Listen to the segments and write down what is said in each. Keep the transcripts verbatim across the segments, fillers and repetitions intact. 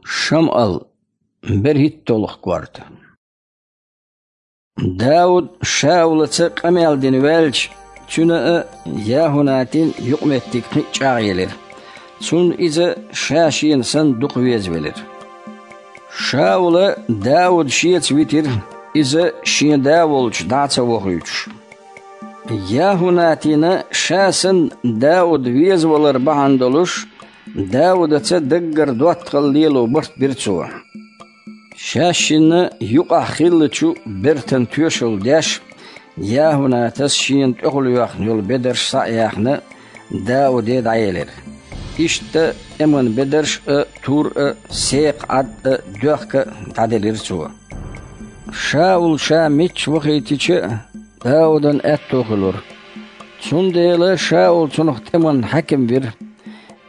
Шамъал, берхӀитталгӀа корта. Дауд Шаулаца къамел дина ваьлча, цуьнан а, ЯхӀунатин а юкъаметтиг кхин а чӀагӀъелира. Цунна иза ша-шена санна дукха везавелира. Шаула Дауд шеца витира, иза шен да волчу дӀа а ца вохуьйтуш. ЯхӀунатина ша санна Дауд везавалар бахьана долуш, Даудаца даггара доттагӀалла лело барт бира цо. Шаьшшинна юкъахь хиллачу бертан тоьшалла деш, ЯхӀунатас шена тӀехула йоьхна йолу бедарш схьа а яьхна, Дауде дӀаелира. Иштта тӀеман бедарш а, тур а, секха Ӏад а, доьхка а дӀаделира цо. Шаул ша мичча вахийтича а, Даудан аьтто хуьлура. Цундела Шаул цунах тӀеман хьаькам вира.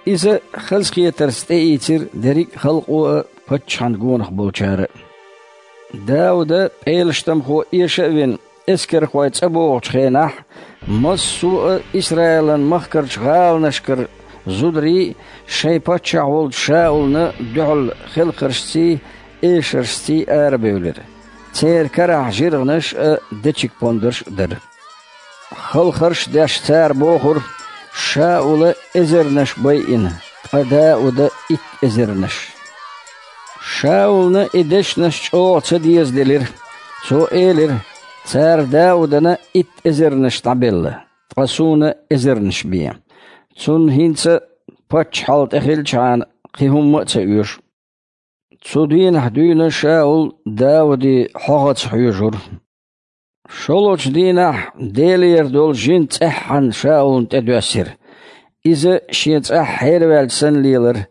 Иза хазахетарца тӀеийцира дерриг а халкъо а, паччахьан гонах болчара а. Дауда пӀелаштамхо эша а вина, эскархой цӀа богӀучу хенахь, массо а Исраилан махкарчу гӀаланашкара зударий шайн паччахь волчу Шаулна дуьхьал хелхаршций, эшаршций арабевлира. Церан карахь жиргӀанаш а, дечиг-пондарш а дара. Халхарш а деш, цара бохура: «Шаула эзарнаш байина, ткъа Дауда итт эзарнаш». Шаулна и дешнаш чӀогӀа ца дезаделира. Цо элира: «Цара Даудана итт эзарнаш дӀабелла, ткъа суна эзарнаш бен. Цунна хӀинца, паччахьалла тӀехилчхьана, кхин хӀумма а ца оьшу». Цу дийнахь дуьйна Шаул Дауде хьогӀаца хьоьжура. ШолгӀачу дийнахь Делера долу жин цӀеххьана Шаулна тӀедоьссира. Иза шен цӀахь хьераваьлча санна лелара.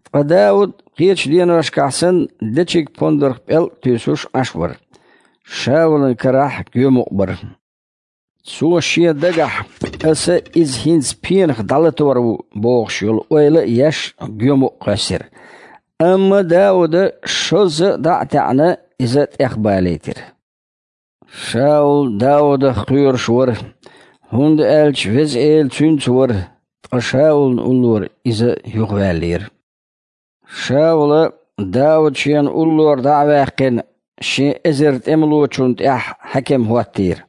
Ткъа Дауд кхечу деношкахь санна дечиг-пондарх пӀелг а туьйсуш Ӏаш вара. Шаулан карахь гоьмукъ бара. Цо шен дагахь: «Аса иза хӀинца пенах дӀалатор ву», – бохуш йолу ойла а еш, гоьмукъ кхоьссира. Амма Дауда шозза а дӀа а таьӀна, иза тӀехбалийтира. Шаул Даудах кхоьруш вара, хӀунда аьлча Веза Эла цуьнца вара, ткъа Шаулна уллора иза юхаваьллера. Шаула Дауд шена уллора дӀа а ваьккхина, шен эзар тӀемалочунна тӀехь хьаькам хӀоттийра.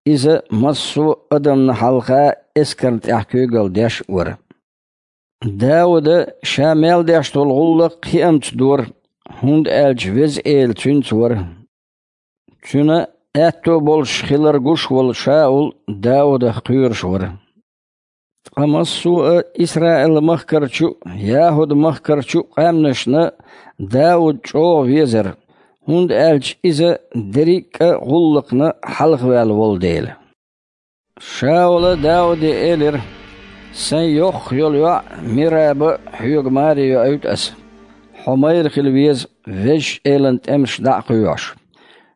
Иза массо а адамна хьалха эскарна тӀехь куьйгалла деш а вара. Дауда ша мел деш долу гӀуллакх хиамца дора, хӀунда аьлча Веза Эла цуьнца вара. Цуьнан аьтто болуш хилар гуш волу Шаул Даудах кхоьруш вара. Ткъа массо а Исраил-махкарчу а, ЯхӀуд-махкарчу а къаьмнашна Дауд чӀогӀа везара, хӀунда аьлча иза дерриг а гӀуллакхна хьалхаваьлла волу дела. Шаула Дауде элира: «Сайн йоккхах йолу йоӀ Мираба хьоьга маре йоуьйту аса. Хьо майра хила веза, Везачу Элан тӀемаш дӀа а кхоьхьуш».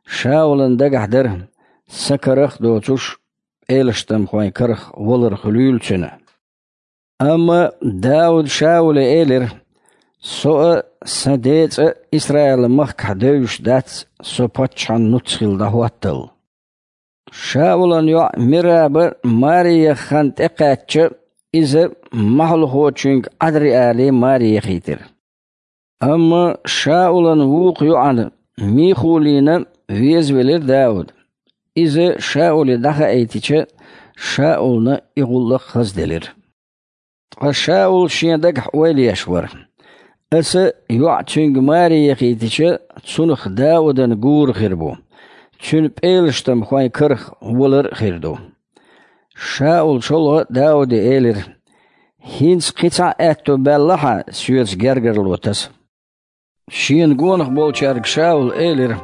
Шаулан дагахь дара, сан карах а доцуш, пӀелаштамхойн карах валар хуьлийла цуьнан. Амма Дауда Шауле элира: «Со а, сан ден цӀа а Исраилан махкахь девзаш дац, со паччахьан нуц хила дӀахӀоттал». Шаулан йоӀ Мираба маре яха хан тӀекхаьчча, иза махьалхочуьнга Ӏадриале маре яхийтира. Амма Шаулан вукху йоӀана Михулина везавелира Дауд. Иза Шауле дӀахаийтича, Шаулна и гӀуллакх хазделира. Ткъа Шаул шен дагахь ойла еш вара: «Аса йоӀ цуьнга маре яхийтича, цунах Даудан гура хир бу, цуьнан пӀелаштамхойн карах валар а хир ду». Шаул шолгӀа а Дауде элира: «ХӀинца кхин цхьа а аьтто баьлла хьан соьца гергарло таса?» Шена гонах болчаьрга Шаула элира: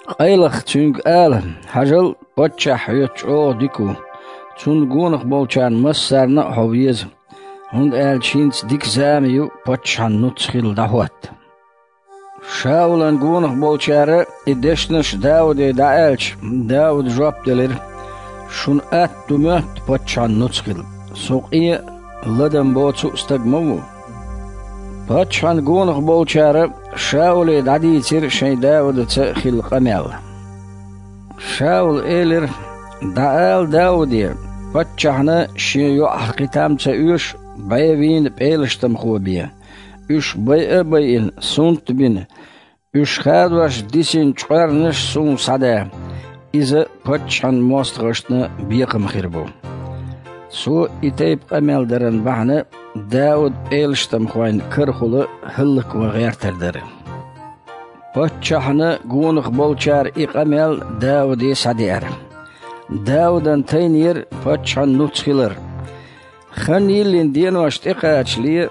«Къайлаха цуьнга ала: „Хьажал, паччахь хьоьца чӀогӀа дика ву. Цунна гонах болчарна массарна а хьо веза, хӀунда аьлча хӀинца дика зама ю паччахьан нуц хила дӀахӀотта“». Шаулан гонах болчара и дешнаш Дауде дӀааьлча, Дауда жоп делира: «Шуна атта ду моьтту паччахьан нуц хила. Со къен а, ладам боцу а стаг ма ву». Паччахьан гонах болчара Шауле дӀадийцира шайн Даудаца хилла къамел. Шаула элира: «ДӀаала Дауде, паччахьна шен йоӀах кхин там ца оьшу, бӀе вийна пӀелаштамхо бен. уьш байа а байина, сунт а бина, уьш хадош дисина чкъоьрнаш а суна схьада, иза паччахьан мостагӀашна бекхам хир бу. Цо и тайпа къамел даран бахьана Дауда пӀелаштамхойн карахула хӀаллакван гӀертар дара. Паччахьна гонах болчара и къамел Дауде схьадеара. Даудан тайнера паччахьан нуц хилар. Хан йиллина денош тӀекхачале,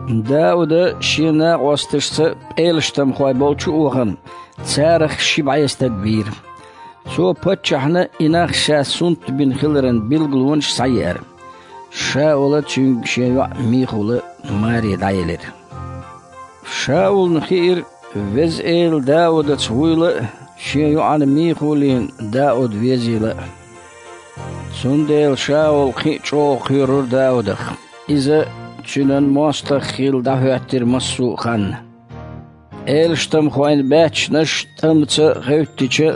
Дауда шен накъосташца пӀелаштамхой болчу а вахана, царах ши бӀе стаг бийра. Цо паччахьна и нах ша сунт бина хиларан билгалонаш схьаеара. Шаула цуьнга шен йоӀ Михула маре дӀаелира. Шаулна хиира, Веза Эла Даудаца вуйла а, шен йоӀана Михулина Дауда везийла а. Цундела Шаул кхин а чӀогӀа кхоьрура Даудах. Иза цуьнан мостагӀ хилла дӀахӀоьттира массо а ханна. ПӀелаштамхойн баьччанаш тӀамца гӀевттича,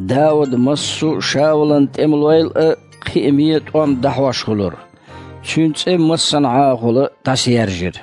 Дауда массо а Шаулан тӀемалойла а кхиаме тӀом дӀахьош хилира. Цуьнан цӀе массанхьагӀахула дӀасаяржира.